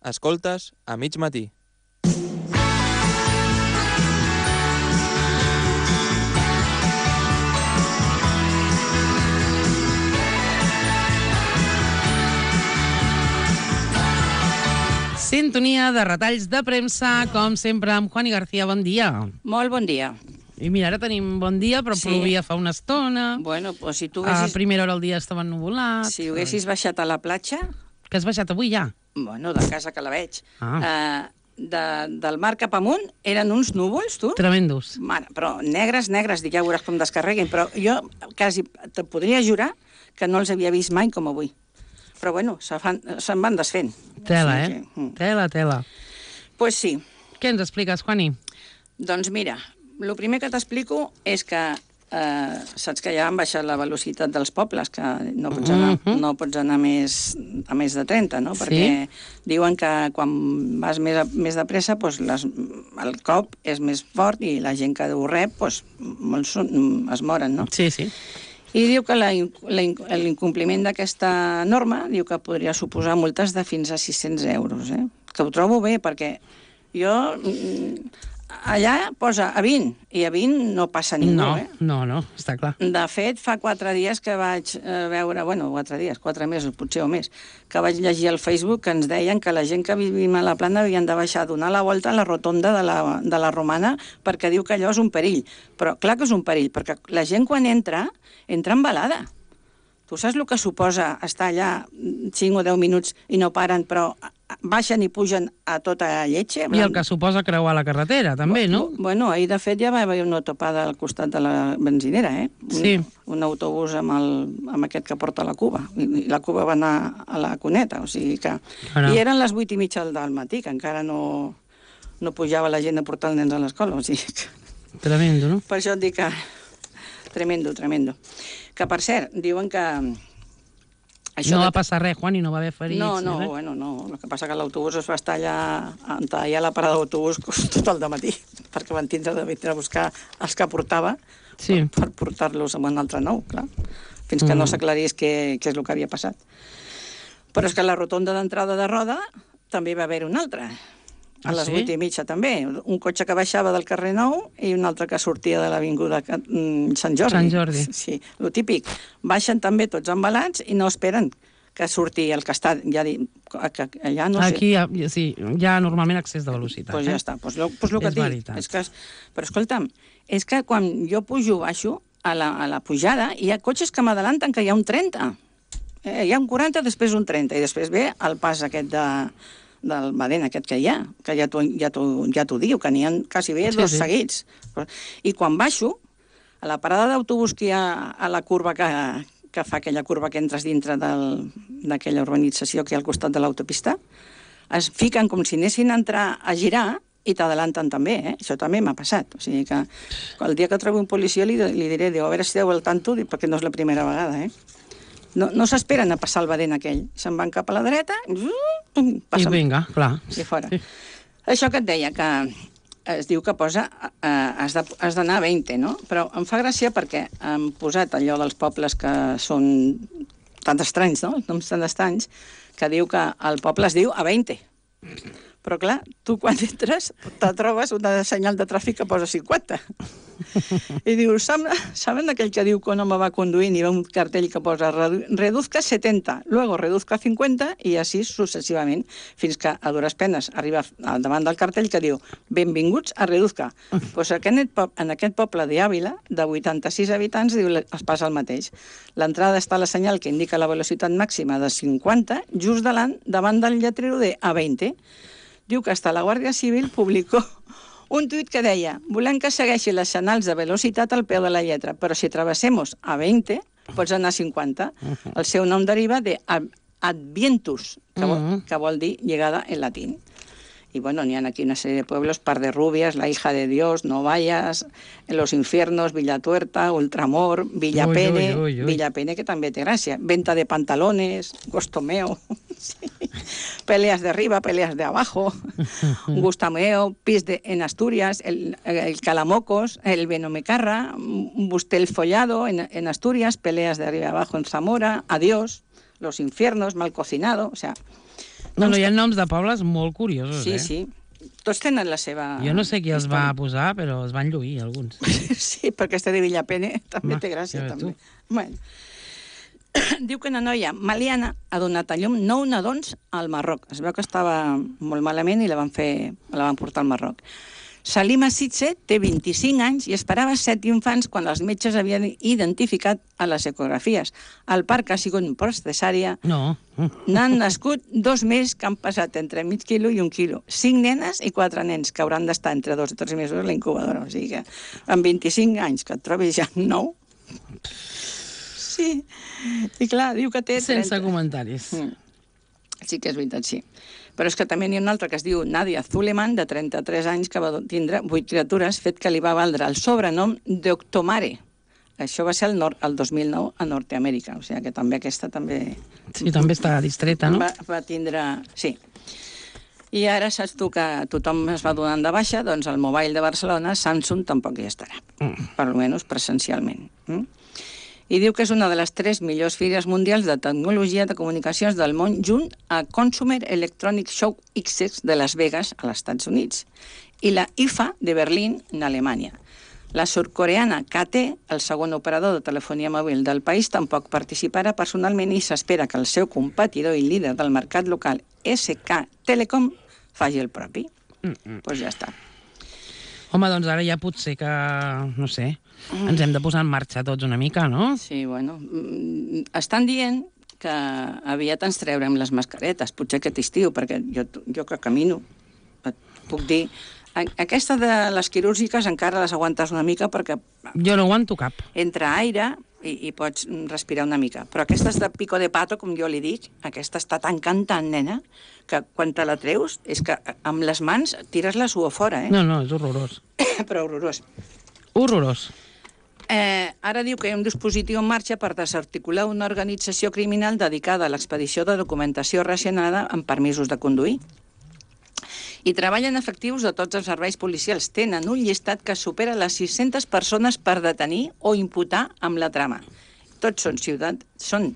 Escoltes a mig matí. Sintonia de retalls de premsa, com sempre, amb Juani García. Bon dia. Molt bon dia. I mira, ara tenim bon dia, però plovia fa una estona. Bueno, pues si tu A haguessis... primera hora del dia estava ennuvolat. Si haguessis baixat a la platja... Que has baixat avui ja? Bueno, de casa que la veig. Del mar cap amunt eren uns núvols, tu? Tremendos. Mare, però negres, dic, ja veuràs com descarreguin, però jo quasi te podria jurar que no els havia vist mai com avui. Però bueno, se'n van desfent. Tela, o sigui Tela. Pues sí. Què ens expliques, Juani? Doncs mira, el primer que t'explico és que saps que ja han baixat la velocitat dels pobles, que no pots anar a més de 30, no? Perquè diuen que quan vas més de pressa, doncs el cop és més fort i la gent que ho rep, doncs, molts es moren, no? Sí. I diu que l'incompliment d'aquesta norma diu que podria suposar multes de fins a 600 euros, que ho trobo bé, perquè jo... Allà posa a 20, i a 20 no passa ningú, No, està clar. De fet, fa 4 dies que vaig veure, 4 mesos, potser o més, que vaig llegir al Facebook que ens deien que la gent que vivim a la Plana havien de baixar a donar la volta a la rotonda de la Romana perquè diu que allò és un perill. Però clar que és un perill, perquè la gent quan entra embalada. Tu saps el que suposa estar allà 5 o 10 minuts i no paren, però baixen i pugen a tota lletja? I el que suposa creuar la carretera, també, no? Bueno, ahir, de fet, ja va haver una topada al costat de la benzinera, Sí. Un autobús amb aquest que porta la Cuba. I la Cuba va anar a la Cuneta, o sigui que... I eren les 8:30 del matí, que encara no pujava la gent a portar els nens a l'escola, o sigui que... Tremendo, no? Per això et dic que... Tremendo. Que, per cert, diuen que... No va passar res, Juan, i no va haver ferits. No. El que passa que l'autobús es va estar allà a la parada d'autobús tot el dematí, perquè van tindre de vindre a buscar els que portava per portar-los amb un altre nou, clar, fins que no s'aclarís què és el que havia passat. Però és que a la rotonda d'entrada de Roda també va haver una altra. A les 8:30 també. Un cotxe que baixava del carrer Nou i un altre que sortia de l'avinguda Sant Jordi. Sant Jordi. Sí, el típic. Baixen també tots embalats i no esperen que surti el que està... Allà no sé... Aquí hi ha normalment excés de velocitat. Doncs ja està. Doncs el que dic. Però escolta'm, és que quan jo baixo a la pujada hi ha cotxes que m'adalanten que hi ha un 30. Hi ha un 40, després un 30, i després ve el pas aquest del Badén aquest que hi ha, que ja t'ho diu, que n'hi ha quasi bé dos seguits. I quan baixo, a la parada d'autobús que hi ha a la curva que fa aquella curva que entres dintre d'aquella urbanització que hi ha al costat de l'autopista, es fiquen com si anessin a entrar a girar i t'adalanten també, Això també m'ha passat. O sigui que el dia que trobi un policia li diré, a veure si esteu al tanto, perquè no és la primera vegada, No s'esperen a passar el Badén aquell. Se'n van cap a la dreta i vinga, clar. I fora. Sí. Això que et deia, que es diu que posa has d'anar a 20, no? Però em fa gràcia perquè han posat allò dels pobles que són tan estranys, no? Els noms tan estranys, que diu que el poble es diu a 20. Però clar, tu quan entres te trobes una senyal de tràfic que posa 50. I dius, saben aquell que diu que un home va conduint i ve un cartell que posa reduzca 70, luego reduzca 50 i així successivament, fins que a dures penes arriba davant del cartell que diu benvinguts a reduzca. Doncs en aquest poble d'Àvila, de 86 habitants, es passa el mateix. L'entrada està a la senyal que indica la velocitat màxima de 50, just davant del lletrero de A20. Diu que hasta la Guàrdia Civil publicó un tuit que deia: volem que segueixi les senyals de velocitat al peu de la lletra, però si travessemos a 20, pots anar a 50. El seu nom deriva de advientus, que vol dir llegada en latín. Y bueno, n'hi ha aquí una sèrie de pueblos, Par de Rubias, La Hija de Dios, Novayas, Los Infiernos, Villatuerta, Ultramor, Villapene, Villapene, que també té gràcia, Venta de Pantalones, Gostomeo, Peleas de Arriba, Peleas de Abajo, Gustameo, Pis en Asturias, el Calamocos, el Benomecarra, Bustel Follado en Asturias, Peleas de Arriba y Abajo en Zamora, Adiós, Los Infiernos, Mal Cocinado, o sea... No, hi ha noms de pobles molt curiosos, Sí, sí. Tots tenen la seva... Jo no sé qui els va posar, però els van lluir, alguns. Sí, perquè este de Villapene també té gràcia, ja també. Bueno. Diu que una noia maliana ha donat a llum 9 nadons al Marroc. Es veu que estava molt malament i la van portar al Marroc. Salima Sitze té 25 anys i esperava 7 infants quan els metges havien identificat a les ecografies. El parc ha sigut un post cesària. No. N'han nascut 2 més que han passat entre mig quilo i 1 quilo. 5 nenes i 4 nens que hauran d'estar entre 2 i 3 mesos a la incubadora. O sigui que amb 25 anys que et trobis ja 9... Sí. I clar, diu que té... Sense comentaris. Sí que és veritat, sí. Però és que també n'hi ha una altra que es diu Nadia Zuleman, de 33 anys, que va tindre 8 criatures, fet que li va valdre el sobrenom d'Octomare. Això va ser el 2009 a Nord-Amèrica, o sigui que també aquesta també... Sí, també està distreta, no? Va tindre... Sí. I ara saps tu que tothom es va donant de baixa, doncs al Mobile de Barcelona, Samsung tampoc hi estarà, per almenys presencialment. I diu que és una de les 3 millors fires mundials de tecnologia de comunicacions del món, junt a Consumer Electronic Show X de Las Vegas, als Estats Units, i la IFA de Berlín, en Alemanya. La surcoreana KT, el segon operador de telefonia mòbil del país, tampoc participarà personalment i s'espera que el seu competidor i líder del mercat local, SK Telecom, faci el propi. Doncs ja està. Home, doncs ara ja potser que, no sé, ens hem de posar en marxa tots una mica, no? Sí, bueno, estan dient que aviat ens treurem les mascaretes, potser aquest estiu, perquè jo que camino, et puc dir... Aquesta de les quirúrgiques encara les aguantes una mica perquè... Jo no aguanto cap. Entra aire i pots respirar una mica. Però aquestes de pico de pato, com jo li dic, aquesta està tan cantant, nena, que quan te la treus és que amb les mans tires la suor fora, eh? No, és horrorós. Però horrorós. Horrorós. Ara diu que hi ha un dispositiu en marxa per desarticular una organització criminal dedicada a l'expedició de documentació racionada amb permisos de conduir. I treballen efectius de tots els serveis policials. Tenen un llistat que supera les 600 persones per detenir o imputar amb la trama. Tots són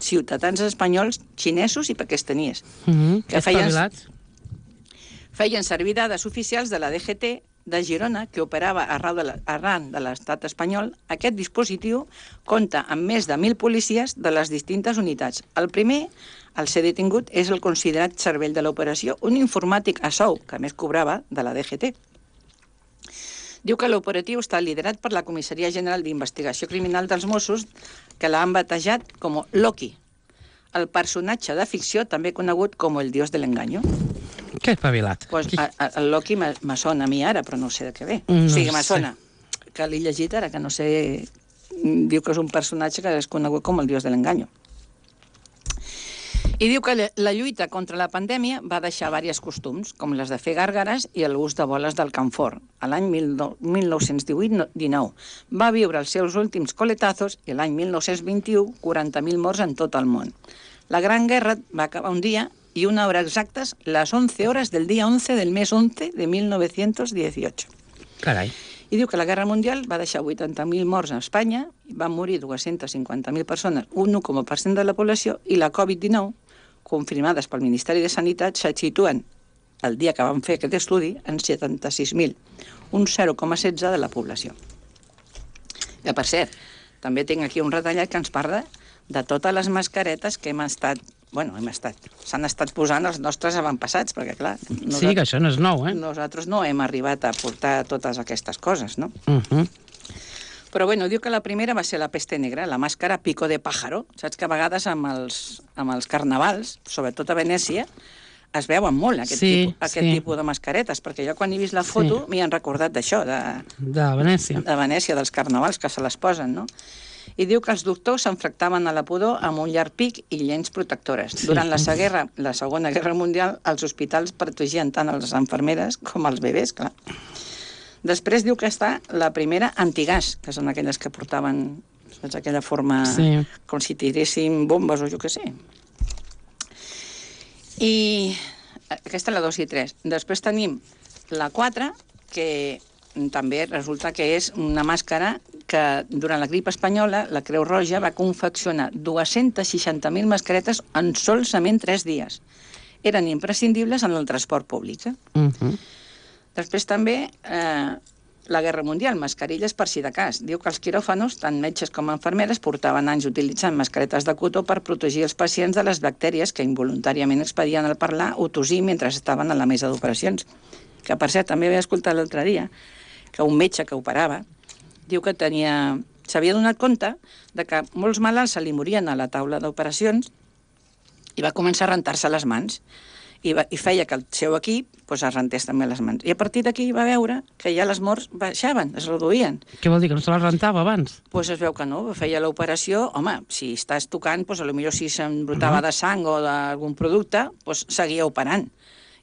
ciutadans espanyols, xinesos i pakistaníes. Que feien servir dades oficials de la DGT de Girona, que operava arran de l'estat espanyol. Aquest dispositiu compta amb més de 1.000 policies de les distintes unitats. El primer, el ser detingut, és el considerat cervell de l'operació, un informàtic a sou, que més cobrava de la DGT. Diu que l'operatiu està liderat per la Comissaria General d'Investigació Criminal dels Mossos, que l'han batejat com Loki, el personatge de ficció també conegut com el dios de l'enganyo. Que espavilat. Pues, el Loki me sona a mi ara, però no sé de què ve. O sigui, me sona que l'he llegit ara, que no sé... Diu que és un personatge que és conegut com el dios de l'enganyo. I diu que la lluita contra la pandèmia va deixar diversos costums, com les de fer gàrgares i l'ús de boles del camfort. A l'any 1918-19 va viure els seus últims coletazos i l'any 1921 40.000 morts en tot el món. La Gran Guerra va acabar un dia i una hora exactes, les 11 hores del dia 11 del mes 11 de 1918. Carai. I diu que la Guerra Mundial va deixar 80.000 morts a Espanya, van morir 250.000 persones, un 1,% de la població, i la Covid-19, confirmades pel Ministeri de Sanitat, se situen, el dia que van fer aquest estudi, en 76.000, un 0,16 de la població. Que, per cert, també tinc aquí un retallat que ens parla de totes les mascaretes que s'han estat posant els nostres avantpassats, perquè, clar... Sí, que això no és nou, eh? Nosaltres no hem arribat a portar totes aquestes coses, no? Però, bueno, diu que la primera va ser la peste negra, la màscara pico de pájaro. Saps que a vegades amb els carnavals, sobretot a Venècia, es veuen molt aquest tipus de mascaretes, perquè jo quan he vist la foto m'hi han recordat d'això, de Venècia. De Venècia, dels carnavals que se les posen, no? I diu que els doctors s'enfractaven a la pudor amb un llarg pic i lents protectores. Durant la Segona Guerra Mundial, els hospitals protegien tant les infermeres com els bebès, clar. Després diu que està la primera antigàs, que són aquelles que portaven, saps, aquella forma com si tiressin bombes o jo què sé. I aquesta és la 2 i 3. Després tenim la 4, que també resulta que és una màscara que durant la grip espanyola la Creu Roja va confeccionar 260.000 mascaretes en solament 3 dies. Eren imprescindibles en el transport públic. Després també la Guerra Mundial, mascarilles per si de cas. Diu que els quiròfanos, tant metges com infermeres, portaven anys utilitzant mascaretes de cotó per protegir els pacients de les bactèries que involuntàriament expedien al parlar o tossir mentre estaven a la mesa d'operacions. Que, per cert, també vaig escoltar l'altre dia que un metge que operava diu que s'havia donat compte de que molts malalts se li morien a la taula d'operacions i va començar a rentar-se les mans. I feia que el seu equip es rentés també les mans. I a partir d'aquí va veure que ja les morts baixaven, es reduïen. Què vol dir, que no se les rentava abans? Doncs es veu que no, feia l'operació, home, si estàs tocant, potser si s'embrutava de sang o d'algun producte, seguia operant.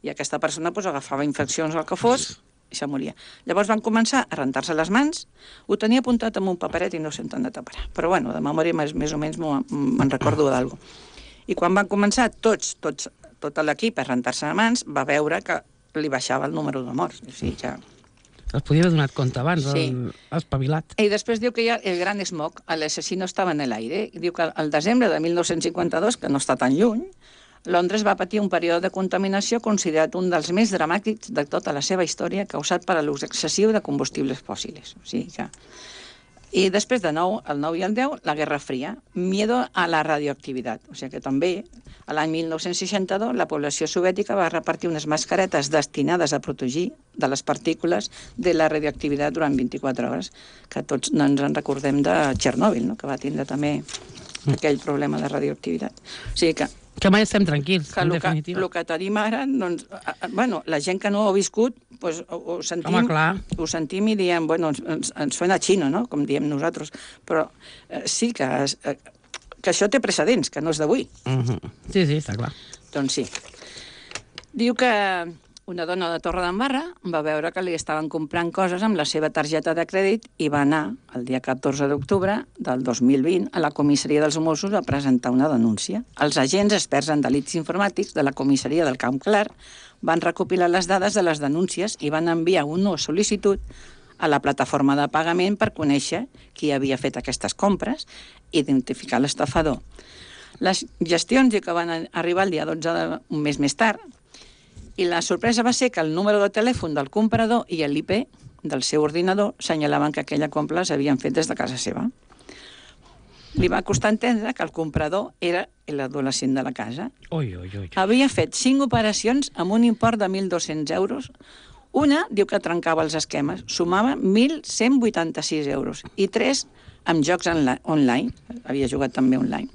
I aquesta persona agafava infeccions o el que fos i se moria. Llavors van començar a rentar-se les mans, ho tenia apuntat amb un paperet i no sé on de tapar. Però bueno, de memòria més o menys me'n recordo d'algú. I quan van començar tot l'equip a rentar-se les mans, va veure que li baixava el número de morts. O sigui, ja... Es podia haver donat compte abans, espavilat. I després diu que hi ha el gran smog, l'assassino estava en l'aire. Diu que al desembre de 1952, que no està tan lluny, Londres va patir un període de contaminació considerat un dels més dramàtics de tota la seva història, causat per l'ús excessiu de combustibles fòssils. O sigui que... I després, de nou, el 9 i el 10, la Guerra Fria, miedo a la radioactivitat. O sigui que també, l'any 1962, la població soviètica va repartir unes mascaretes destinades a protegir de les partícules de la radioactivitat durant 24 hores, que tots no ens en recordem de Txernòbil, no? Que va tindre també aquell problema de radioactivitat. O sigui que mai estem tranquils, en definitiva. El que tenim ara, doncs, la gent que no ho ha viscut, ho sentim, ho sentim i diem, ens suena xino, no?, com diem nosaltres, però sí que això té precedents, que no és d'avui. Sí, està clar. Doncs sí. Diu que una dona de Torredembarra va veure que li estaven comprant coses amb la seva targeta de crèdit i va anar, el dia 14 d'octubre del 2020, a la comissaria dels Mossos a presentar una denúncia. Els agents experts en delits informàtics de la comissaria del Camp Clar van recopilar les dades de les denúncies i van enviar una sol·licitud a la plataforma de pagament per conèixer qui havia fet aquestes compres i identificar l'estafador. Les gestions que van arribar el dia 12, un mes més tard, i la sorpresa va ser que el número de telèfon del comprador i l'IP del seu ordinador senyalaven que aquella compra s'havien fet des de casa seva. Li va costar entendre que el comprador era l'adolescent de la casa. Havia fet 5 operacions amb un import de 1.200 euros. Una diu que trencava els esquemes, sumava 1.186 euros, i 3 amb jocs online. Havia jugat també online.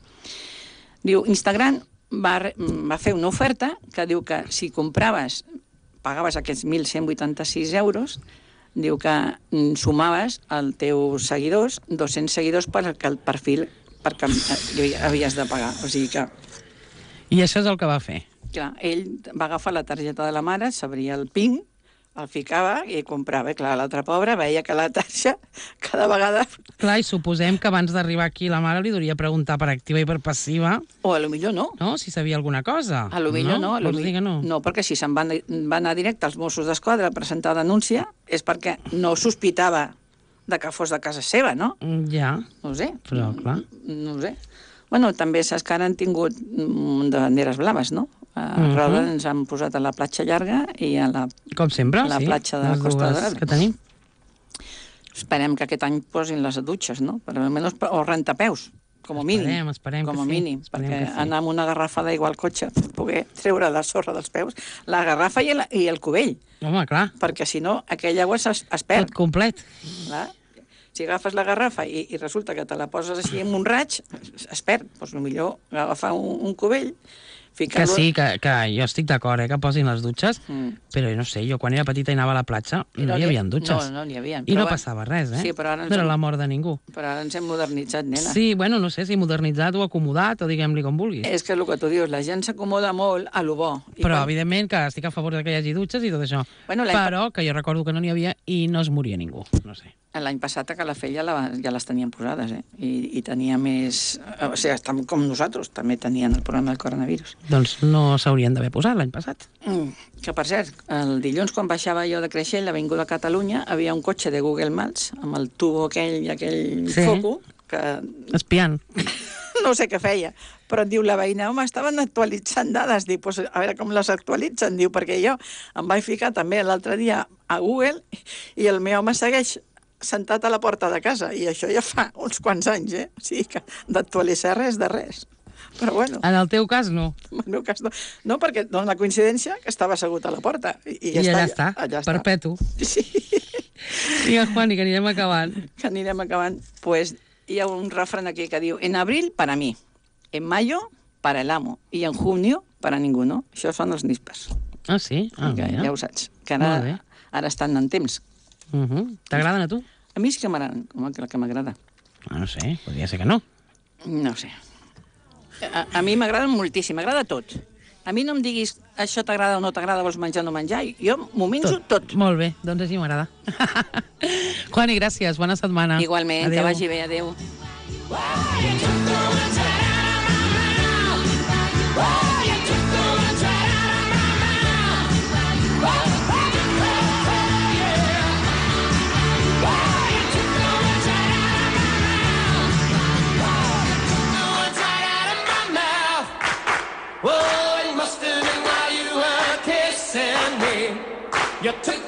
Diu, Instagram va fer una oferta que diu que si pagaves aquests 1.186 euros, diu que sumaves als teus seguidors 200 seguidors per el perfil perquè havies de pagar. O sigui que... I això és el que va fer? Clar, ell va agafar la targeta de la mare, s'abria el PIN, el ficava i comprava. Clar, l'altre pobre veia que la taxa cada vegada... Clar, i suposem que abans d'arribar aquí la mare li hauria preguntar per activa i per passiva... O a lo millor no. No, si sabia alguna cosa. A lo millor no. No, perquè si se'n va anar directe als Mossos d'Esquadra a presentar denúncia és perquè no sospitava de que fos de casa seva, no? Ja. No ho sé. Però, clar. No ho sé. Bueno, també saps que ara han tingut de banderes blaves, no? A Roda ens han posat a la platja llarga i a la... Com sempre, a la platja de la Costa d'Arbre. Que tenim. Esperem que aquest any posin les dutxes, no? Per almenys, o rentapeus, com a mínim. Esperem com a mínim, perquè anar amb una garrafa d'aigua al cotxe per poder treure la sorra dels peus, la garrafa i el cubell. Home, clar. Perquè si no, aquella aigua es perd. Tot complet. Clar. Si agafes la garrafa i resulta que te la poses així en un raig, es perd. Doncs millor agafar un cubell, que sí, que jo estic d'acord, que posin les dutxes, però no sé, jo quan era petita i anava a la platja no hi havia dutxes. No n'hi havia. I no passava res, Sí, però ara no era la mort de ningú. Però ara ens hem modernitzat, nena. Sí, bueno, no sé si modernitzat o acomodat, o diguem-li com vulguis. És que el que tu dius, la gent s'acomoda molt a lo bo. Però, evidentment, que estic a favor que hi hagi dutxes i tot això. Però que jo recordo que no n'hi havia i no es moria ningú, no sé. L'any passat a Calafell ja les tenien posades, i tenia més... O sigui, com nosaltres, també tenien el problema del coronavirus. Doncs no s'haurien d'haver posat l'any passat. Que, per cert, el dilluns, quan baixava jo de Creixell, l'avinguda Catalunya, havia un cotxe de Google Maps amb el tubo aquell i aquell foco que... Espiant. No sé què feia, però et diu la veïna, home, estaven actualitzant dades. Dic, pues, a veure com les actualitzen. Diu, perquè jo em vaig ficar també l'altre dia a Google i el meu home segueix sentat a la porta de casa, i això ja fa uns quants anys, O sigui que d'actualitzar res de res. Però bueno. En el teu cas, no. En el meu cas, no. No, perquè dona la coincidència que estava assegut a la porta. I allà està, perpetu. Sí. Vinga, Juani, que anirem acabant. Pues hi ha un refrán aquí que diu: en abril, para mí, en mayo, para el amo, i en junio, para ninguno. Això són els níspers. Ah, sí? Ja ho saps, que ara estan en temps. T'agraden a tu? A mi sí que m'agraden, com el que m'agrada. No sé, podria ser que no. No sé. A mi m'agraden moltíssim, m'agrada tot. A mi no em diguis això t'agrada o no t'agrada, vols menjar o no menjar, jo m'ho menjo tot. Molt bé, doncs així m'agrada. Juani, gràcies, bona setmana. Igualment, que vagi bé, adéu. You took